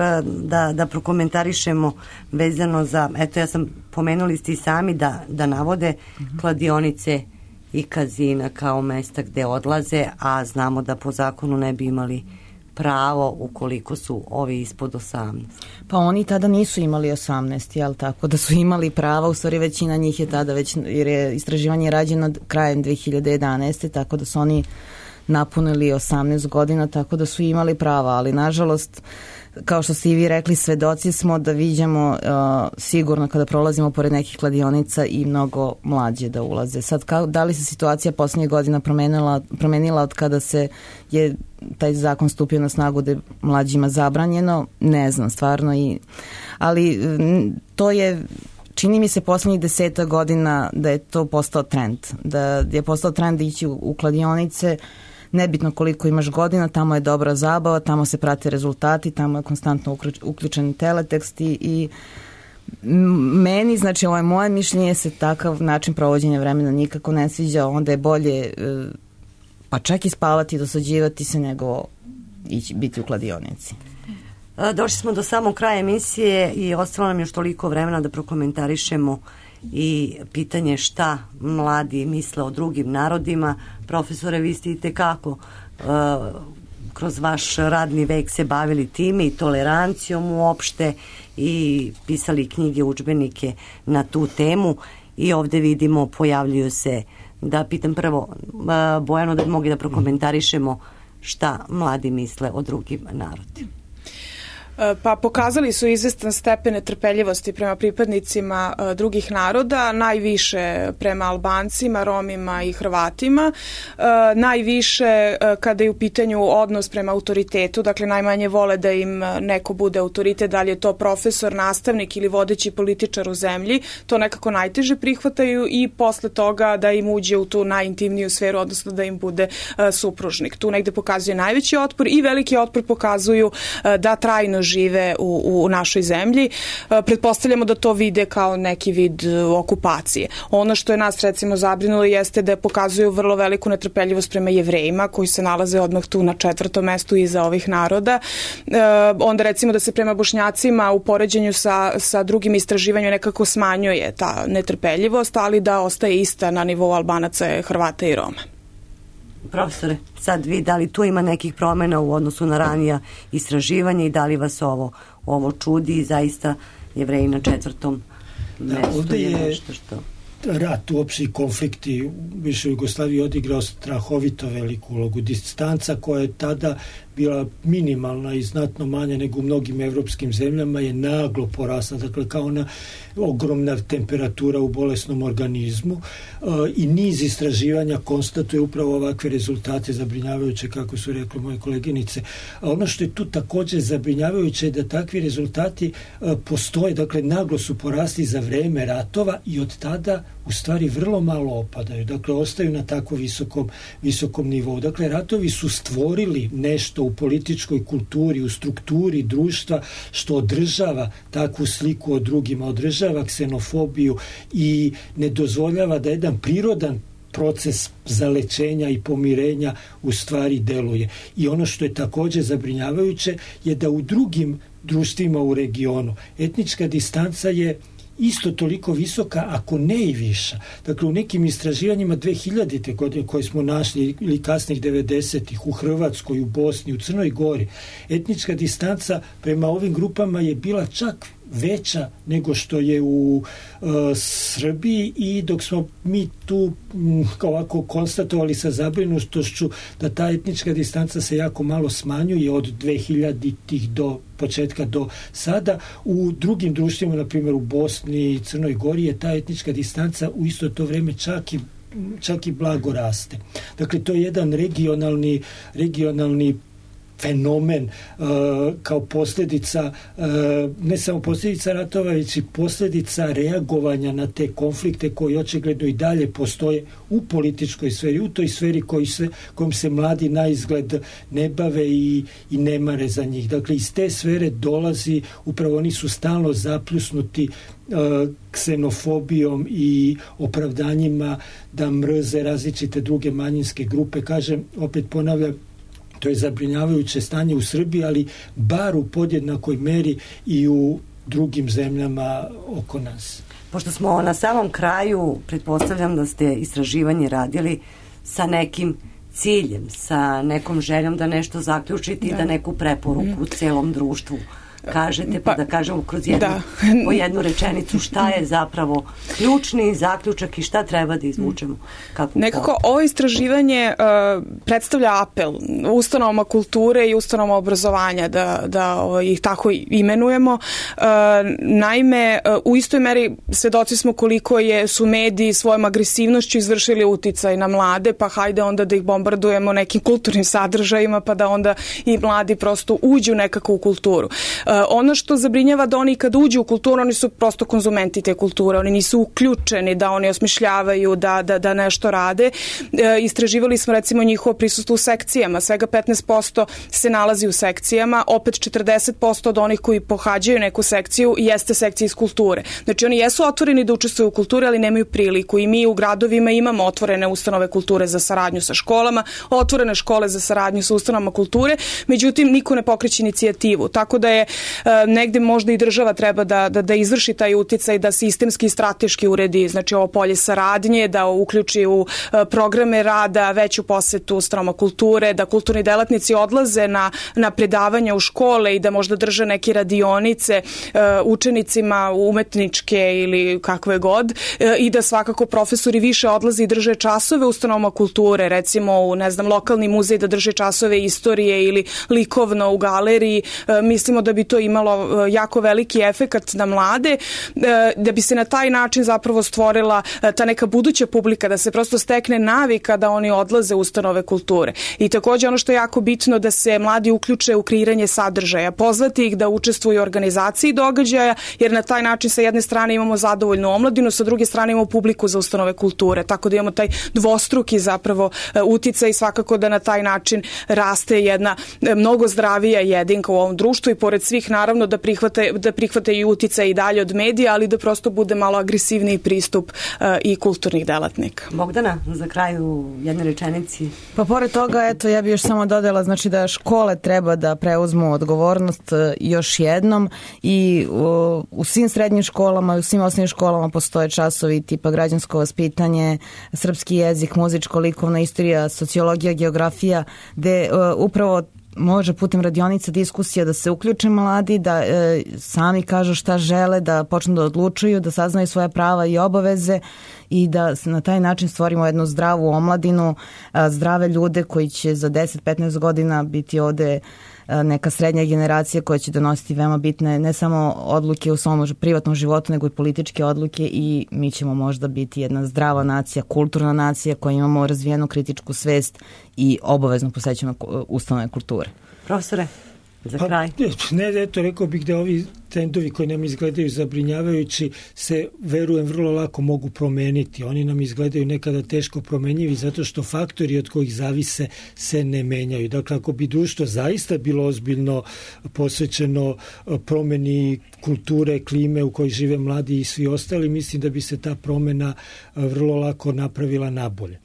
E: da prokomentarišemo vezano za, eto ja sam, pomenuli ste i sami da navode kladionice i kazina kao mesta gde odlaze, a znamo da po zakonu ne bi imali pravo ukoliko su ovi ispod 18.
G: Pa oni tada nisu imali 18, jel tako? Da su imali prava, u stvari većina njih je tada već, jer je istraživanje rađeno krajem 2011. tako da su oni napunili 18 godina, tako da su imali prava, ali nažalost, kao što ste i vi rekli, svedoci smo da viđamo sigurno kada prolazimo pored nekih kladionica i mnogo mlađe da ulaze. Sad, da li se situacija poslednjih godina promenila od kada se je taj zakon stupio na snagu da je mlađima zabranjeno? Ne znam, stvarno. Ali to je, čini mi se poslednjih 10 godina da je to postao trend. Da je postao trend ići u kladionice, nebitno koliko imaš godina, tamo je dobra zabava, tamo se prate rezultati, tamo je konstantno uključen teletekst i meni, znači ovo je moje mišljenje, se takav način provođenja vremena nikako ne sviđa, onda je bolje pa čak i spavati i dosađivati se nego biti u kladionici.
E: Došli smo do samog kraja emisije i ostalo nam još toliko vremena da prokomentarišemo i pitanje šta mladi misle o drugim narodima. Profesore, vi ste i tekako kroz vaš radni vek se bavili time i tolerancijom uopšte i pisali knjige, udžbenike na tu temu i ovde vidimo pojavljuju se, da pitam prvo Bojanu da bi mogli da prokomentarišemo šta mladi misle o drugim narodima.
D: Pa pokazali su izvestan stepen netrpeljivosti prema pripadnicima drugih naroda, najviše prema Albancima, Romima i Hrvatima, najviše kada je u pitanju odnos prema autoritetu, dakle najmanje vole da im neko bude autoritet, da li je to profesor, nastavnik ili vodeći političar u zemlji, to nekako najteže prihvataju i posle toga da im uđe u tu najintimniju sferu, odnosno da im bude supružnik. Tu negde pokazuje najveći otpor i veliki otpor pokazuju da trajno žive u našoj zemlji. Pretpostavljamo da to vide kao neki vid okupacije. Ono što je nas recimo zabrinulo jeste da pokazuju vrlo veliku netrpeljivost prema Jevrejima koji se nalaze odmah tu na 4. mestu iza ovih naroda. Onda recimo da se prema Bošnjacima u poređenju sa drugim istraživanjima nekako smanjuje ta netrpeljivost, ali da ostaje ista na nivou Albanaca, Hrvata i Roma.
E: Profesore, sad vi, da li tu ima nekih promjena u odnosu na ranija istraživanja i da li vas ovo čudi i zaista Jevreji na 4. mestu?
F: Ovde je
E: nešto što...
F: rat, uopšte i konflikti u bivšoj Jugoslaviji odigrao strahovito veliku ulogu. Distanca koja je tada bila minimalna i znatno manja nego u mnogim evropskim zemljama je naglo porasla, dakle kao ona ogromna temperatura u bolesnom organizmu i niz istraživanja konstatuje upravo ovakve rezultate zabrinjavajuće, kako su rekli moje koleginice. A ono što je tu također zabrinjavajuće je da takvi rezultati postoje, dakle naglo su porasli za vreme ratova i od tada u stvari vrlo malo opadaju, dakle ostaju na tako visokom nivou. Dakle, ratovi su stvorili nešto u političkoj kulturi, u strukturi društva što održava takvu sliku o drugima, održava ksenofobiju i ne dozvoljava da jedan prirodan proces zalečenja i pomirenja u stvari deluje. I ono što je također zabrinjavajuće je da u drugim društvima u regionu etnička distanca je isto toliko visoka, ako ne i viša. Dakle, u nekim istraživanjima 2000. godine koje smo našli ili kasnih 90-ih u Hrvatskoj, u Bosni, u Crnoj Gori, etnička distanca prema ovim grupama je bila čak veća nego što je u Srbiji i dok smo mi tu ovako konstatovali sa zabrinutošću da ta etnička distanca se jako malo smanjuje od 2000-ih do početka do sada, u drugim društvima, na primjer u Bosni i Crnoj Gori, je ta etnička distanca u isto to vreme čak i blago raste. Dakle, to je jedan regionalni fenomen kao posljedica, ne samo posljedica ratova, već i posljedica reagovanja na te konflikte koji očigledno i dalje postoje u političkoj sferi, u toj sferi kojom se mladi na izgled ne bave i ne mare za njih. Dakle, iz te sfere dolazi, upravo oni su stalno zapljusnuti ksenofobijom i opravdanjima da mrze različite druge manjinske grupe. Kažem, opet ponavljam, To je zabrinjavajuće stanje u Srbiji, ali bar u podjednakoj meri i u drugim zemljama oko nas.
E: Pošto smo na samom kraju, pretpostavljam da ste istraživanje radili sa nekim ciljem, sa nekom željom da nešto zaključite i da neku preporuku celom društvu kažete, pa da kažemo kroz po jednu rečenicu šta je zapravo ključni zaključak i šta treba da izvučemo.
D: Nekako ovo istraživanje predstavlja apel ustanovama kulture i ustanovama obrazovanja da ih tako imenujemo. Naime, u istoj meri svedoci smo koliko su mediji svojom agresivnošću izvršili uticaj na mlade, pa hajde onda da ih bombardujemo nekim kulturnim sadržajima, pa da onda i mladi prosto uđu nekako u kulturu. Ono što zabrinjava da oni kad uđu u kulturu, oni su prosto konzumenti te kulture, oni nisu uključeni da oni osmišljavaju, da nešto rade. Istraživali smo recimo njihovo prisustvo u sekcijama, svega 15% se nalazi u sekcijama, opet 40% od onih koji pohađaju neku sekciju jeste sekcija iz kulture. Znači oni jesu otvoreni da učestvuju u kulturi, ali nemaju priliku i mi u gradovima imamo otvorene ustanove kulture za saradnju sa školama, otvorene škole za saradnju sa ustanovama kulture, međutim niko ne pokreće inicijativu, tako da je negde možda i država treba da izvrši taj uticaj, da sistemski i strateški uredi, znači ovo polje saradnje, da uključi u programe rada veću posetu ustanovama kulture, da kulturni delatnici odlaze na predavanja u škole i da možda drže neke radionice učenicima umetničke ili kakve god i da svakako profesori više odlaze i drže časove u ustanovama kulture, recimo u, lokalni muzej da drže časove istorije ili likovno u galeriji. Mislimo da bi to imalo jako veliki efekat na mlade, da bi se na taj način zapravo stvorila ta neka buduća publika, da se prosto stekne navika da oni odlaze u ustanove kulture. I također ono što je jako bitno da se mladi uključe u kreiranje sadržaja, pozvati ih da učestvuju u organizaciji događaja, jer na taj način sa jedne strane imamo zadovoljnu omladinu, sa druge strane imamo publiku za ustanove kulture, tako da imamo taj dvostruki zapravo uticaj i svakako da na taj način raste jedna mnogo zdravija jedinka u ovom društvu i pored svih naravno da prihvate i uticaj i dalje od medija, ali da prosto bude malo agresivniji pristup i kulturnih delatnika.
E: Bogdana, za kraju jedne rečenici.
G: Pa pored toga, eto, ja bih još samo dodala, znači da škole treba da preuzmu odgovornost još jednom i u svim srednjim školama i u svim osnovnim školama postoje časovi tipa građansko vaspitanje, srpski jezik, muzičko, likovna istorija, sociologija, geografija, gde upravo može putem radionica, diskusija da se uključe mladi, da sami kažu šta žele, da počnu da odlučuju, da saznaju svoja prava i obaveze i da na taj način stvorimo jednu zdravu omladinu, zdrave ljude koji će za 10-15 godina biti ovde neka srednja generacija koja će donositi veoma bitne ne samo odluke u svom privatnom životu, nego i političke odluke i mi ćemo možda biti jedna zdrava nacija, kulturna nacija koja imamo razvijenu kritičku svest i obavezno posećujemo ustanove kulture.
E: Profesore, za kraj.
F: Rekao bih da ovi trendovi koji nam izgledaju zabrinjavajući se, verujem, vrlo lako mogu promeniti. Oni nam izgledaju nekada teško promenjivi zato što faktori od kojih zavise se ne menjaju. Dakle, ako bi društvo zaista bilo ozbiljno posvećeno promeni kulture, klime u kojoj žive mladi i svi ostali, mislim da bi se ta promena vrlo lako napravila nabolje.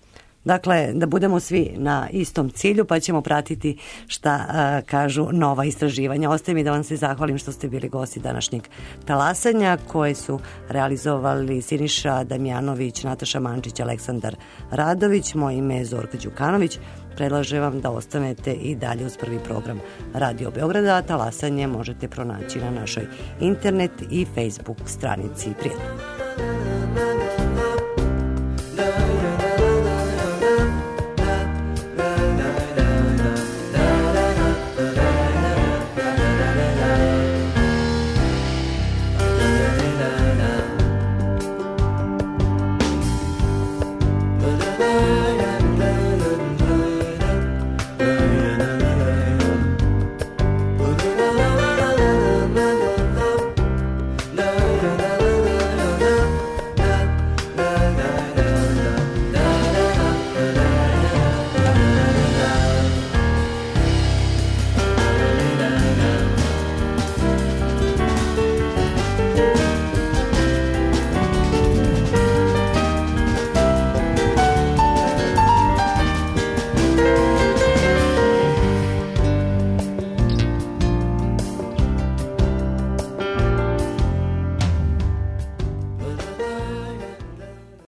E: Dakle, da budemo svi na istom cilju, pa ćemo pratiti šta kažu nova istraživanja. Ostaje mi da vam se zahvalim što ste bili gosti današnjeg talasanja, koje su realizovali Siniša Damjanović, Nataša Mančić, Aleksandar Radović. Moje ime je Zorka Đukanović. Predlažem vam da ostanete i dalje uz prvi program Radio Beograda. Talasanje možete pronaći na našoj internet i Facebook stranici. Prijetno.